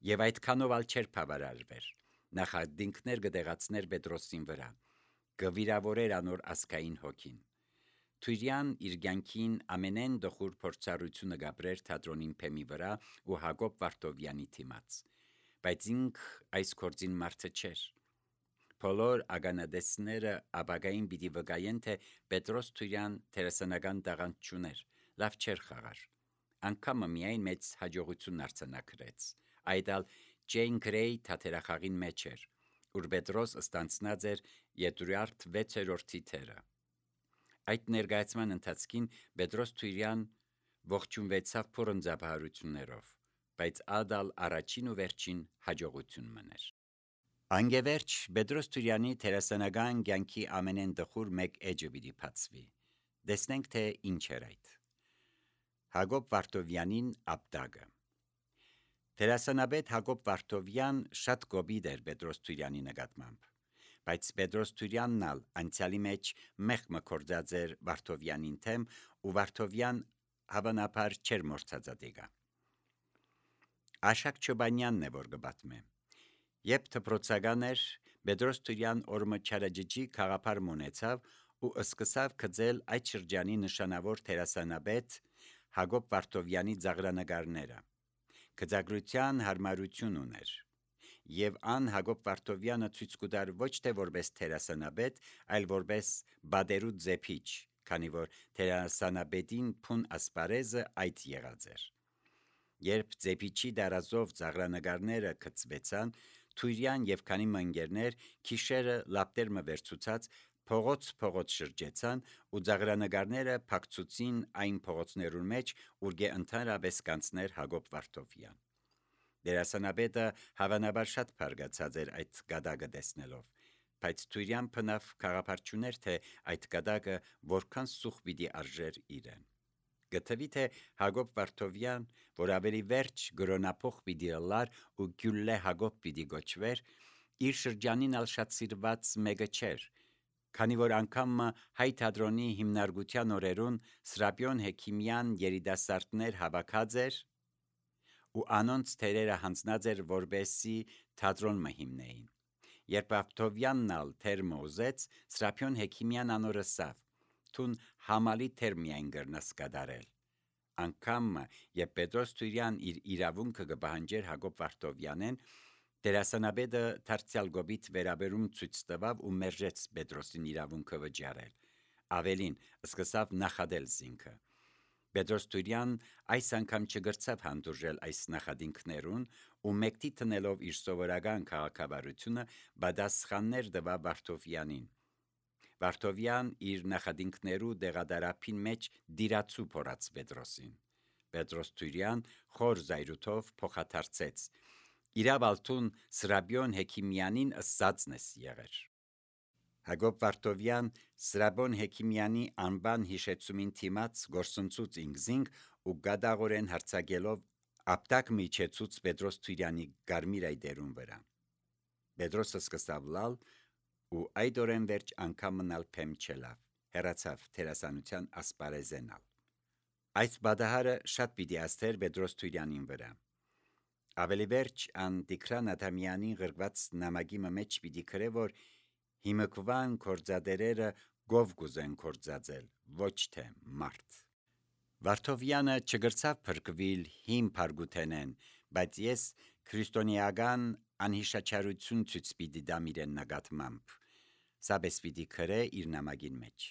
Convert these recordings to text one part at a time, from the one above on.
Եվ այդքանով ալ չէր բավարարվեր, նախադինքներ կդեղացներ Պետրոսին վրա, կվիրավորեր անոր ասկային հոգին։ Թուրյան իր կյանքին ամենեն դխուր փորձառությունը գաբրեր թատրոնին փեմի վրա ու Հակոբ Վարդովյանի թիմաց, բայց ինք այս գործին մարդը չէր։ Բոլոր ագանադեսները ապագային պիտի վկայեն, թե Պետրոս Թուրյան թերասանական տաղանդ չուներ, լավ չէր խաղար, անգամը միայն մեծ հաջողություն արձանագրեց, այդալ Ջեյն Գրեյ թատերախաղին մեջ էր, ուր Պետրոս ստանցնած էր Եդուրարդ 6-րդ թերը։ Այդ ներկայացման ընթացքին Պետրոս Թուրյան ողջունվեցավ փորձաբարություններով, բայց ադալ առաջին ու վերջին հաջողություն մներ։ Անգևերջ Պետրոս Թուրյանի թերասանական կյանքի ամենեն դխուր մեկ էջը պիտի բացվի։ Տեսնենք, թե ինչ էր այդ։ Հակոբ Վարդովյանին ապտակը։ Թերասանաբեդ Հակոբ Վարդովյան շատ կոպիտ էր Պետրոս Թուրյանի նկատմամբ, բայց Պետրոս Թուրյանն ալ անցյալի մեջ մեղմ կործած էր Վարդովյանին թեմ ու Վարդովյան հավանաբար չէր մորցածադեգա։ Աշակ Չոբանյանն է, որ կպատմե։ Երբ դպրոցական էր, Պետրոս Թուրյան օրը չարաջջի խաղապար մոնեցավ ու սկսավ գծել այդ շրջանի նշանավոր թերասանաբեդ Հակոբ Վարդովյանի ծաղրանկարները։ Գծագրության հարմարություն ուներ, եւ ան Հակոբ Վարդովյանը ցույց կտար ոչ թե որպես թերասանաբեդ, այլ որպես բادرու ձեփիչ, քանի որ թերասանաբեդին փուն ասպարեզը այդ եղած էր։ Երբ ձեփիչի դարազով ծաղրանկարները գծվեցան, Թուրյան եւ քանի մանգերներ քիշերը լապտերմը վերցուցած փողոց շրջեցան ու ծաղրանկարները փակցուցին այն փողոցներուն մեջ, ուր ընդհանրապես կանցներ Հակոբ Վարդովյան։ Դերասանաբեդը հավանաբար շատ բարգացած էր այդ գադակը տեսնելով, բայց Թուրյան փնավ խաղապարչուներ, թե այդ գադակը որքան սուխ պիտի արժեր իրեն։ Գտվի թե Հակոբ Վարդովյան, որ ավելի վերջ գրոնափող պիտի ըլլար ու Գյուլլե Հակոբ պիտի գոչվեր, իր շրջանին ալ շատ սիրված մեկը չէր, քանի որ անգամ հայ թատրոնի հիմնարկության օրերուն Սրապիոն Հեքիմյան երիտասարդներ հավաքած էր ու անոնց թերերը հանձնած էր, որպեսզի թատրոն հիմնեին։ Երբ Վարդովյանն ալ թերմը ուզեց, Սրապիոն Հեքիմյան անոր ըսավ. «Թուն համալի թեր միայն գրնաս կատարել»։ Անգամ երբ Պետրոս Թուրյան իր իրավունքը կպահանջեր Հակոբ Վարդովյանեն, դերասանաբեդը դարձյալ գոբիտ վերաբերում ցույց տվավ ու մերժեց Պետրոսին իրավունքը վճարել։ Ավելին, սկսավ նախադել զինքը։ Պետրոս Թուրյան այս անգամ չգրցավ հանդուրժել այս նախադինքներուն ու մեկտի տնելով իր սովորական քաղաքավարությունը պատասխաններ տվավ Վարդովյանին։ Վարդովյան իր նախադինքներու դեղադարափին մեջ դիրացու փորած Պետրոսին։ Պետրոս Թուրյան խոր զայրույթով փոխադարձեց. «Իրավալթուն Սրապիոն Հեքիմյանին ըսածն ես եղեր»։ Հակոբ Վարդովյան Սրապիոն Հեքիմյանի անվան հիշեցումին թիմաց գործընծուց ինքզինք ու գադաղորեն հարցակելով ապտակ միջեցուց Պետրոս Թուրյանի կարմիր այդերուն վրա։ Պետրոսը սկսավ լալ ու այդ օրեն վերջ անգամ մնալ փեմ չելավ, հեռացավ թերասանության ասպարեզենալ։ Այս բադահարը շատ պիտի ասթեր Պետրոս Թուրյանին վրա։ Ավելի վերջ ան Տիգրան Ադամյանին գրված նամակի մեջ պիտի գրե, որ հիմկվան կորձադերերը գով կուզեն կորձածել, ոչ թե մարդ։ Վարդովյանը չգրցավ փրկվել հին փարգութենեն, բայց ես քրիստոնեական անհիշաչարություն ցույց պիտի դամ իրեն նկատմամբ։ Սա պես պիտի գրե իր նամակին մեջ։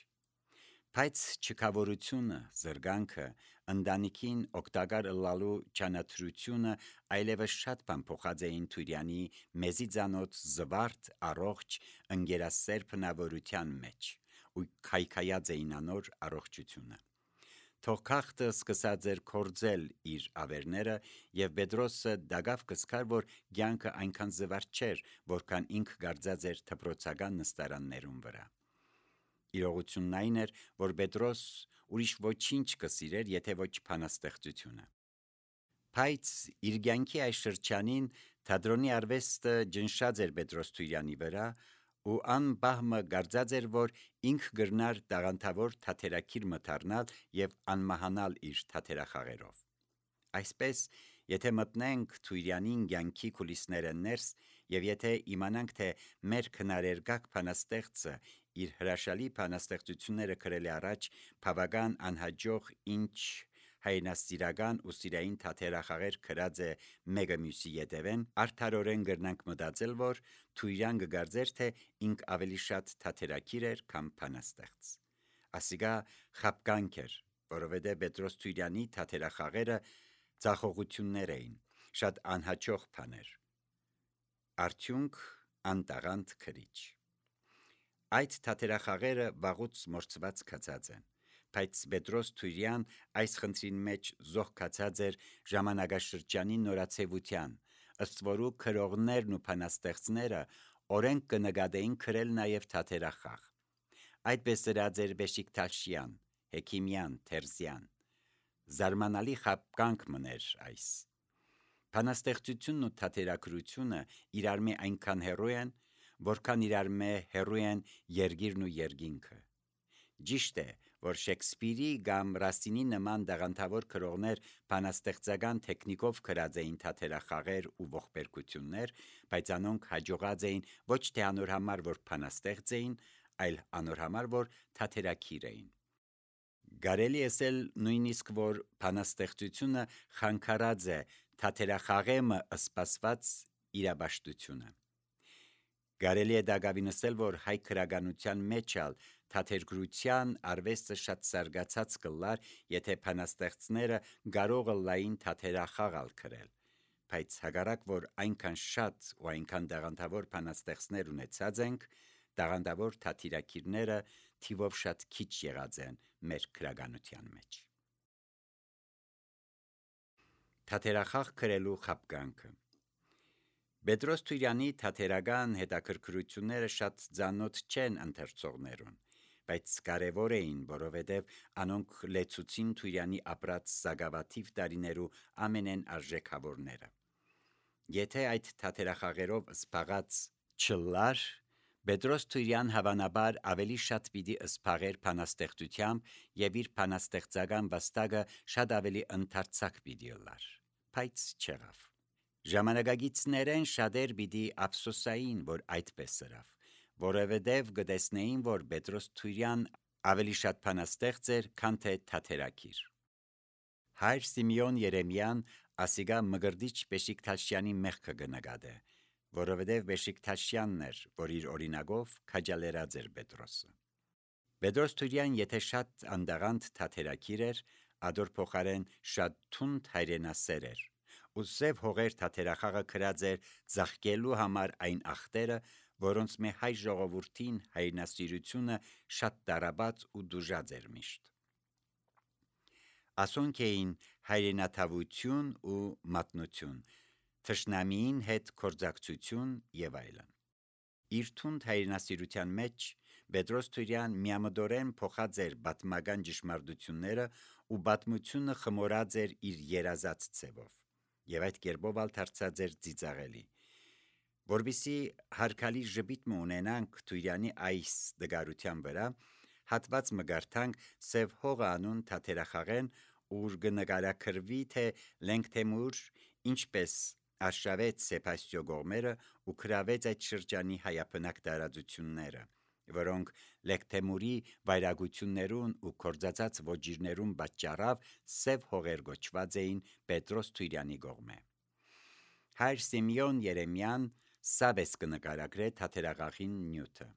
Բայց չքավորությունը, զրկանքը, ընտանիքին օգտակար ըլլալու ճանատրությունը այլևս շատ բան փոխած էին Թուրյանի մեզի ծանոթ զվարթ, առողջ, ընկերասեր բնավորության մեջ ու քայքայած էին անոր առողջությունը։ Թող քաղցը սկսած էր կորձել իր ավերները եւ Պետրոսը դագավ կսկար, որ կյանքը այնքան զվարթ չէր, որքան ինք գարձած էր դպրոցական նստարաններուն վրա։ Իրողությունն այն էր, որ Պետրոս ուրիշ ոչինչ կսիրեր, եթե ոչ բանաստեղծությունը։ Բայց իր կյանքի այս շրջանին թատրոնի արվեստը ջնշած էր Պետրոս Թուրյանի վրա ու ան բահմը գարձած էր, որ ինք գրնար տաղանդավոր թատերակիր մթարնալ եւ անմահանալ իր թատերախաղերով։ Այսպես Եթե մտնենք Թույրյանին կյանքի կուլիսները ներս եւ եթե իմանանք, թե մեր քնարերգակ բանաստեղծը իր հրաշալի բանաստեղծությունները գրել է առաջ բավական անհաջող ինչ հայրենասիրական ու սիրային թատերախաղեր գրած է մեկը մյուսի ետևեն, արդարորեն գրնանք մտածել, որ Թույրյան կգարձեր, թե ինք ավելի շատ թատերակիր էր, քան բանաստեղծ։ Ասիկա խապկանք էր, որովհետև Պետրոս Թույրյանի թատերախաղերը ցախողություններ էին, շատ անհաջող բաներ։ Արդյունք անտաղանդ քրիչ։ Այդ թատերախաղերը վաղուց մորցված կացած են, բայց Պետրոս Թույրյան այս խնդրին մեջ զոհ կացած էր ժամանակաշրջանի նորացեվության, ըստ որու քրողներն ու բանաստեղծները օրենք կնկատեին գրել նաև թատերախաղ։ Այդպես դրած էր Բեշիկտաշյան, Հեքիմյան, Թերզյան։ Զարմանալի խապկանք մներ այս։ Բանաստեղծությունն ու թատերագրությունը իրար մե այնքան հեռու են, որքան իրար մե հեռու են երգիրն ու երկինքը։ Ճիշտ է, որ Շեքսպիրի կամ Ռասինի նման դաղանթավոր գրողներ բանաստեղծական տեխնիկով գրած էին թատերախաղեր ու ողբերգություններ, բայց անոնք հաջողած էին ոչ թե անոր համար, որ բանաստեղծ էին, այլ անոր համար, որ թատերակիր էին։ Կարելի ասել նույնիսկ, որ բանաստեղծությունը խանգարած է թատերախաղեմը սպասված իրաբաշտությունը։ Կարելի է դակավին ասել, որ հայ քրագանության մեջ ալ թատերգրության արվեստը շատ զարգացած կլար, եթե բանաստեղծները կարող լային թատերախաղ ալ գրել, բայց հակառակ որ այնքան շատ ու այնքան դաղանթավոր բանաստեղծներ ունեցած ենք, դաղանթավոր թատերակիրները թիվով շատ քիչ եղած են մեր քրագանության մեջ։ Թատերախաղ գրելու խապկանքը։ Պետրոս Թույրյանի թատերական հետաքրքրությունները շատ ծանոթ չեն ընթերցողներուն, բայց կարևոր էին, որովհետև անոնք լեցուցին Թույրյանի ապրած զագավաթիվ տարիներու ամենեն արժեքավորները։ Եթե այդ թատերախաղերով սփաղած չլար, Պետրոս Թույրյան հավանաբար ավելի շատ պիտի սփաղեր բանաստեղծությամբ եւ իր բանաստեղծական վաստակը շատ ավելի ընդարձակ պիտի լար, բայց չեղավ։ Ժամանակագիցներեն շատեր պիտի ափսոսային, որ այդպես ըրավ, որովհետև գտեսնեին, որ Պետրոս Թույրյան ավելի շատ բանաստեղծ էր, քան թե թատերակիր։ Հայր Սիմեոն Երեմյան ասիգա մգրդիչ Բեշիկտաշյանի մեղքը կնկատե, որովհետև Բեշիկտաշյանն էր, որ իր օրինակով քաջալերած էր Պետրոսը։ Պետրոս Թույրյան եթե շատ անդաղանդ թատերակիր էր, ադոր փոխարեն շատ թունդ հայրենասեր էր, ու սև հողեր թատերախաղը գրած էր ծաղկելու համար այն ախտերը, որոնց մե հայ ժողովրդին հայրենասիրությունը շատ տարաբաց ու դուժած էր միշտ։ Ասոնք էին հայրենաթավություն ու մատնություն, թշնամիին հետ գործակցություն եւ այլն։ Իր թունդ հայրենասիրության մեջ Պետրոս Թույրյան միամտորեն փոխած էր պատմական ճշմարտությունները ու պատմությունը խմորած էր իր երազած ցևով, եւ այդ կերպով ալ դարձած էր ծիծաղելի։ Որբիսի հարկալի ժպիտ ունենանք Թույրյանի այս դգարության վրա, հատված մգարտանք Սև հողը անուն թատերախաղեն, ուր կնկարագրվի, թե Լենգթեմուր ինչպես արշավեց Սեբաստիո գողմերը ու գրավեց այդ շրջանի հայաբնակ տարածությունները, որոնք Լենգթեմուրի վայրագություններուն ու կորձածած ոճիրներուն պատճառավ Սև հողեր գոչված էին Պետրոս Թույրյանի գողմե։ Հայր Սիմեոն Երեմյան սաբես կնկարագրե թատերախաղին նյութը։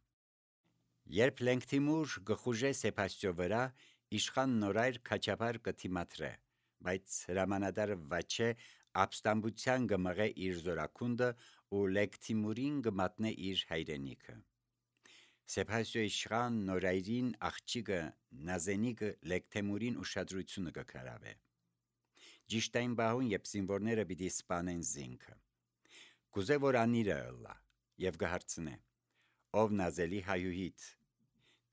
Երբ Լենգթիմուր գխուժե Սեբաստիո վրա, իշխան նորայր քաչապար կթիմատրե, բայց հրամանատար վաչե ապստամբության գմղե իր զորակունդը ու Լենգթիմուրին գմատնե իր հայրենիքը։ Սեբաստիո իշխան նորայրին աղջիկը Նազենիկը Լենգթիմուրին ուշադրությունը կկարավե։ Ճիշտ այն բահուն, երբ զինվորները պիտի սպանեն զինքը։ Կուզե որ անիրը ըլլա եւ կհարցնե. ով Նազելի հայուհիդ,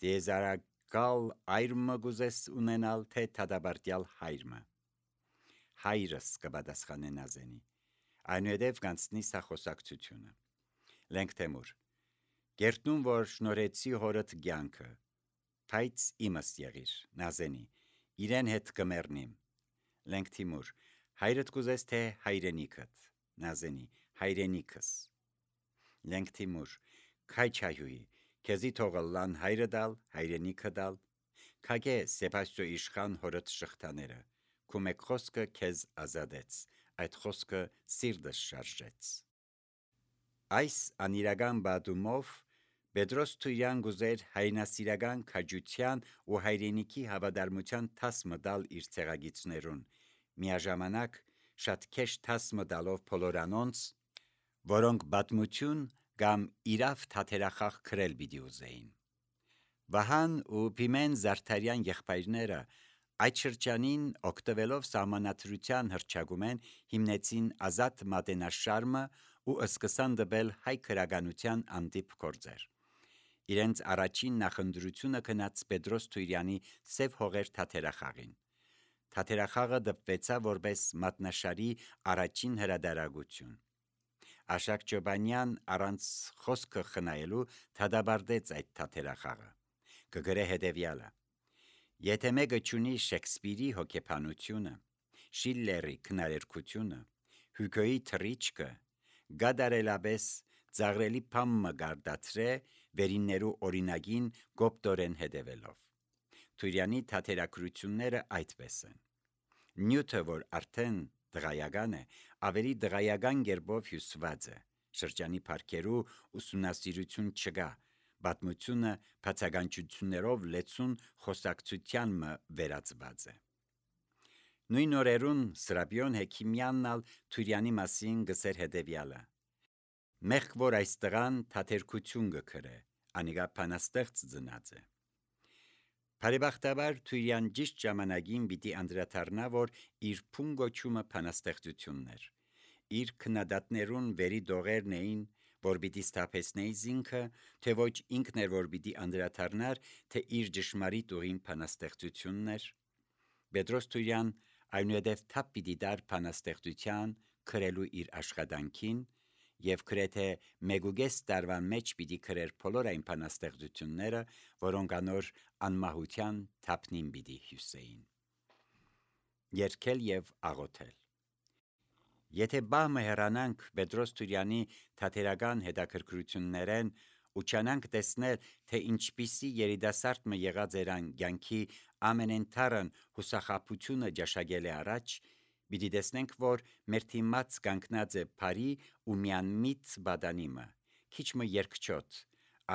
դեզարակալ այրմը գուզես ունենալ, թե թադաբարտյալ հայրմը։ Հայրս կպատասխանե Նազենի, այնուհետև կանցնի սա խոսակցությունը։ Լենգթեմուր. Գերտնում որ շնորհեցի հորդ կյանքը, բայց իմս եղիր, Նազենի, իրեն հետ կմեռնիմ։ Լենգթիմուր. հայրդ կուզես թե հայրենիքդ, նազենի, հայրենիքս։ Լենք Թիմուր, քայ չայուի, քեզի թողլան հայրը դալ, հայրենիքը դալ, քագե Սեբաստիո իշխան հորդ շղթաները, քու մեկ խոսքը քեզ ազատեց, այդ խոսքը սիրտս շարժեց։ Այս անիրական բադումով Պետրոս Թույրյան գուզեր հայրենասիրական քաջության ու հայրենիքի հավատարմության թասմը դալ իր ցեղագիցներուն, միաժամանակ շատ քեշ թասմը դալով բոլորանոնց, որոնք պատմություն կամ իրավ թաթերախաղ քրել պիտի ուզեին։ Վահան ու Փիմեն Զարդարյան եղբայրները այդ շրջանին օգտվելով սահմանադրության հռչակումեն հիմնեցին ազատ մատենաշարմը ու սկսան դբել հայ քրագանության անդիպ գործեր։ Իրենց առաջին նախընտրությունը գնաց Պետրոս Թույրյանի Սև հողեր թաթերախաղին։ Թաթերախաղը դպվեցավ որպես մատնաշարի առաջին հրադարագություն։ Աշակ Ջոբանյան առանց խոսքը խնայելու դադարեցրեց այդ թաթերախաղը։ Կգրե հետևյալը. Եթե մեկը չունի Շեքսպիրի հոգեբանությունը, Շիլլերի քնարերգությունը, Հյուգոյի թռիչքը, գադարելաբես ծաղրելի փամը գարդացրե վերիններու օրինագին գոպտորեն հետևելով։ Թույրյանի թաթերակրությունները այդպես են։ Նյութը, որ արդեն դղայական է, ավելի դղայական գերբով հյուսված է, շրջանի парքերու ուսումնասիրություն չկա, պատմությունը բացականչություններով լեցուն խոսակցության մը վերածված է։ Նույն օրերուն Սրաբիոն Հեքիմյանն ալ Թույրյանի մասին գսեր հետևյալը. Մեղք որ այս տղան թաթերքություն գքրե, անիգա փանաստեղծ ծնած է։ Բարեբախտաբար Թույրյան ճիշտ ժամանակին պիտի անդրադառնա, որ իր փունգոչումը փանաստեղծություններ։ Իր քննադատներուն վերի դողերն էին, որ պիտի ստապեսնեի զինքը, թե ոչ ինքն էր, որ պիտի անդրադառնար, թե իր ճշմարիտ ուղին փանաստեղծություններ։ Պետրոս Թույրյան այնուհետև թափ պիտի դար փանաստեղծության քրելու իր աշխատանքին եւ գրեթե մեգուգես տարվան մեջ պիտի քրեր բոլոր այն փանաստեղծությունները, որոնք անոր անմահության թափնին պիտի հյուսեին։ Երգել եւ աղոթել։ Եթե բամը հեռանանք Պետրոս Թույրյանի թատերական հետաքրքրություններեն ու չանանք տեսնել, թե ինչպիսի երիտասարդ մը եղած երան կյանքի ամենընթարն հուսախաբությունը ճաշակել է առաջ, պիտի տեսնենք, որ մեր թիմած կանգնած է բարի ու միանմիտ բադանիմը, քիչ մը երկչոտ,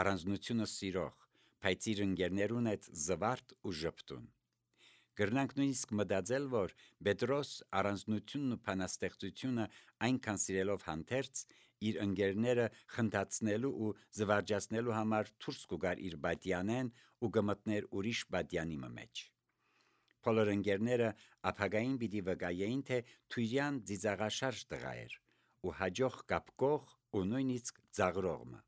առանձնությունը սիրող, բայց իր ընկերներուն հետ զվարթ ու ժպտուն։ Գրնանք նույնիսկ մտածել, որ Պետրոս առանձնությունն ու փանաստեղծությունը այնքան սիրելով հանդերձ իր ընկերները խնդացնելու ու զվարճացնելու համար դուրս կուգար իր բադյանեն ու գմտներ ուրիշ բադյանի մեջ։ Բոլոր ընկերները ապագային պիտի վկայեին, թե Թույրյան ծիծաղաշարժ տղա էր ու հաջող կապկող ու նույնիսկ ծաղրողը։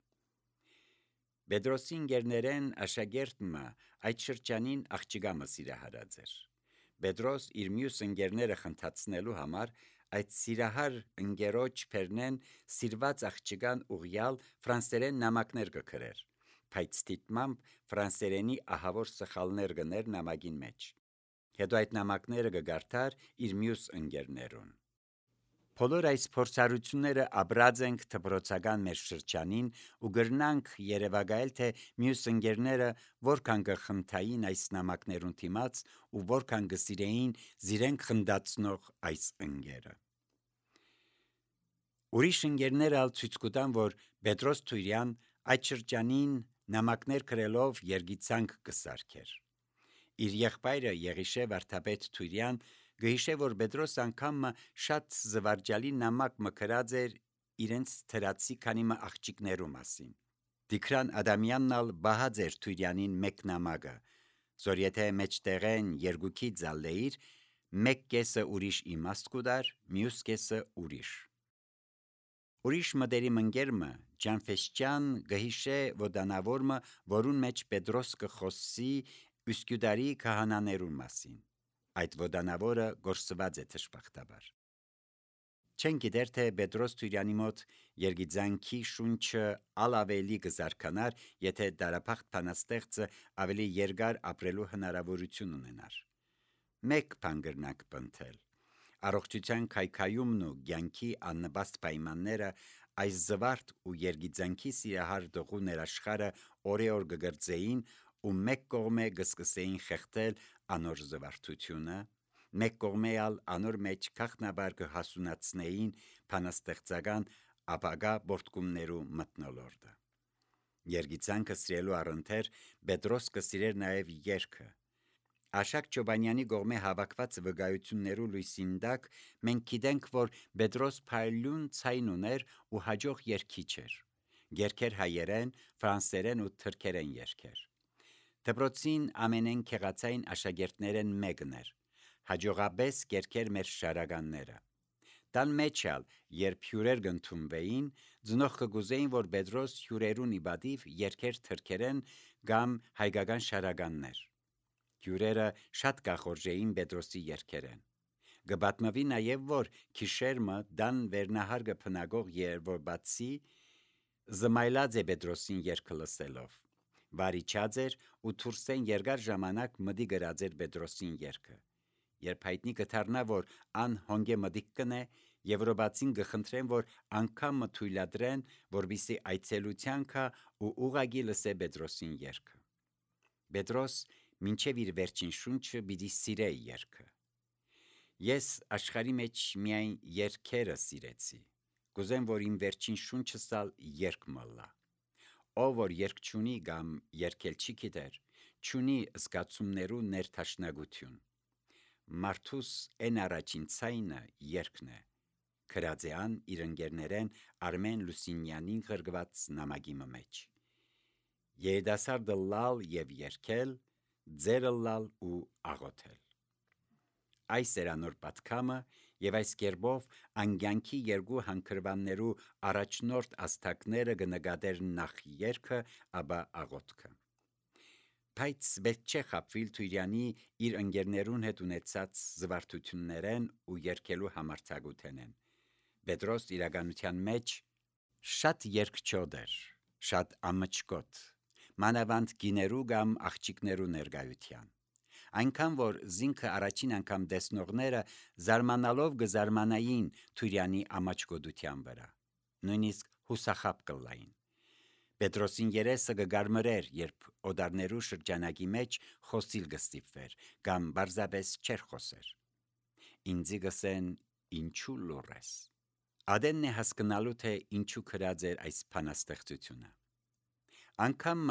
Պետրոսի ընկերներեն աշակերտը այդ շրջանին աղջիկամը սիրահարած էր։ Պետրոս իր մյուս ընկերները խնդացնելու համար այդ սիրահար ընկերոջ փերնեն սիրված աղջիկան ուղյալ ֆրանսերեն նամակներ կգրեր, բայց դիտմամբ ֆրանսերենի ահավոր սխալներ գներ նամակին մեջ։ Հետո այդ նամակները կգարթար իր մյուս ընկերներուն։ Բոլոր այս փորձառությունները ապրած ենք դպրոցական մեր շրջանին ու գրնանք երևակայել, թե մյուս ընկերները որքան կխնդային այս նամակներուն դիմաց ու որքան կսիրեին զիրենք խնդացնող այս ընկերը։ Ուրիշ ընկերները ալ ցույց կտան, որ Պետրոս Թույրյան այդ շրջանին նամակներ գրելով երգիծանք կսարքեր։ Իր եղբայրը Եղիշե Վարդապետ Թույրյան գհիշե, որ Պետրոս անգամը շատ զվարճալի նամակ մկրած էր իրենց թրացի քանի մը աղջիկներու մասին։ Տիգրան Ադամյանն ալ բահած էր Թույրյանին մեկ նամակը, որ եթե մեջտեղեն երկուքի ձալեիր, մեկ կեսը ուրիշ իմաստ կուդար, մյուս կեսը ուրիշ։ Ուրիշ մտերիմ ընկերը Ջանֆեսճյան գհիշե ոդանավորը, որուն մեջ Պետրոս կխոսի Üsküdarի քահանաներուն մասին։ Այդ ոդանավորը գործված է թշպախտաբար։ Չեն գիտեր, թե Պետրոս Թույրյանի մոտ երգիծանքի շունչը ալավելի կզարկանար, եթե դարապախտ փանաստեղծը ավելի երկար ապրելու հնարավորություն ունենար։ Մեկ բան գրնանք պնդել. Առողջության քայքայումն ու ցանկի աննպաստ պայմանները այս զվարթ ու երգիծանքի սիրահար դողու ներաշխարը օրեօր կգրծեին ու մեկ կողմե կսկսեին խեղդել անոր զվարթությունը, մեկ կողմե ալ անոր մեջ քաղտնաբար կհասունացնեին փանաստեղծական ապագա բորտկումներու մթնոլորտը։ Երգիծանքը սիրելու առընթեր Պետրոս կսիրեր նաև երգը։ Աշակ Չոբանյանի կողմէ հավաքված վկայություններու լույսին տակ մենք գիտենք, որ Պետրոս փայլուն ցայն ուներ ու հաջող երգիչ էր։ Երգեր հայերեն, ֆրանսերեն ու թրքերեն երգեր։ Դպրոցին ամենեն քեղացային աշակերտներեն մեկն էր։ Հաջողաբես երգեր մեր շարականները։ Տան մեջ ալ, երբ հյուրեր կընդունվեին, ծնողքը կուզեին, որ Պետրոս հյուրերուն իբադիվ երգեր թրքերեն կամ հայկական շարականներ։ Հյուրերը շատ կախորժեին Պետրոսի երգերեն։ Կպատմվի նաև, որ քիշերմը դան վերնահարգը փնագող երբորբացի զմայլած է Պետրոսին երգը լսելով։ Վարիչած էր ու թուրսեն երկար ժամանակ մդի գրած էր Պետրոսին երգը։ Երբ հայտնի կդառնա, որ ան հոնգե մդիկ կնե, Եվրոպացին կխնդրեն, որ անգամ թույլատրեն, որպեսզի այցելությանքա ու ուղագի լսե Պետրոսին երգը։ Պետրոս մինչև իր վերջին շունչը պիտի սիրե երգը։ Ես աշխարհի մեջ միայն երգերը սիրեցի։ Կուզեմ, որ իմ վերջին շունչս ալ երգ մըլլա։ Ով որ երգ չունի կամ երգել չի գիտեր, չունի զգացումներու ներթաշնագություն։ Մարդուս են առաջին ցայնը երգն է։ Քրածեան իր ընկերներեն Արմեն Լուսինյանին գրգված նամակի մեջ։ Երիտասարդը լալ եւ երգել, ձերը լալ ու աղոթել։ Այս էր անոր պատկամը եւ այս կերպով անգյանքի երկու հանգրվաններու առաջնորդ աստակները կնկատեր նախ երգը, ապա աղոթքը։ Բայց պետք չէ խաբվել Թույրյանի իր ընկերներուն հետ ունեցած զվարթություններեն ու երգելու համարձակութենեն։ Պետրոս իրականության մեջ շատ երգչոտ էր, շատ ամճկոտ, մանավանդ գիներու կամ աղջիկներու ներկայության։ Այնքան որ զինքը առաջին անգամ տեսնողները զարմանալով կզարմանային Թույրյանի ամաչկոդության վրա, նույնիսկ հուսախաբ կլային։ Պետրոսին երեսը կգարմրեր, երբ օդարներու շրջանակի մեջ խոսիլ կստիպվեր, կամ բարձաբես չեր խոսեր։ Ինձի գսեն ինչու լուռ ես։ Ադենն է հասկնալու, թե ինչու քրած էր այս փանաստեղծությունը։ Անգամ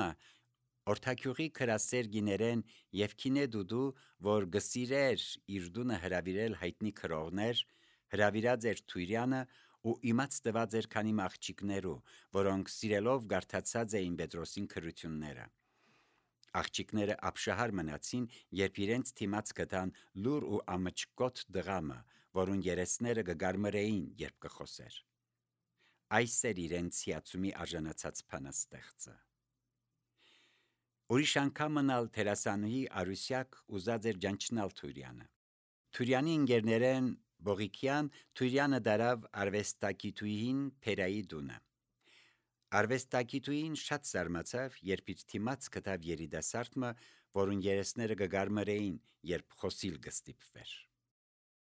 Օրթակյուղի քրասեր գիներեն եւ քինե դուդու, որ գսիրեր իր դունը հրավիրել հայտնի քրողներ, հրավիրած էր Թույրյանը ու իմաց տված էր քանի աղջիկներու, որոնք սիրելով գարթացած էին Պետրոսին քրությունները։ Աղջիկները ապշահար մնացին, երբ իրենց թիմած գտան լուր ու ամճկոտ դղամը, որուն երեսները կգարմրեին, երբ կխոսեր։ Այս էր իրենց հիացումի արժանացած փանաստեղծը։ Ուրիշ անգամն ալ թերասանուհի Արուսյակ ուզած էր ջանչնալ Թույրյանը։ Թույրյանի ընկերներեն Բողիկյան Թույրյանը դարավ արվեստագիտուհին Փերայի դունը։ Արվեստագիտուհին շատ զարմացավ, երբ իր թիմած գտավ երիտասարդը, որուն երեսները կգարմրեին, երբ խոսիլ կստիպվեր։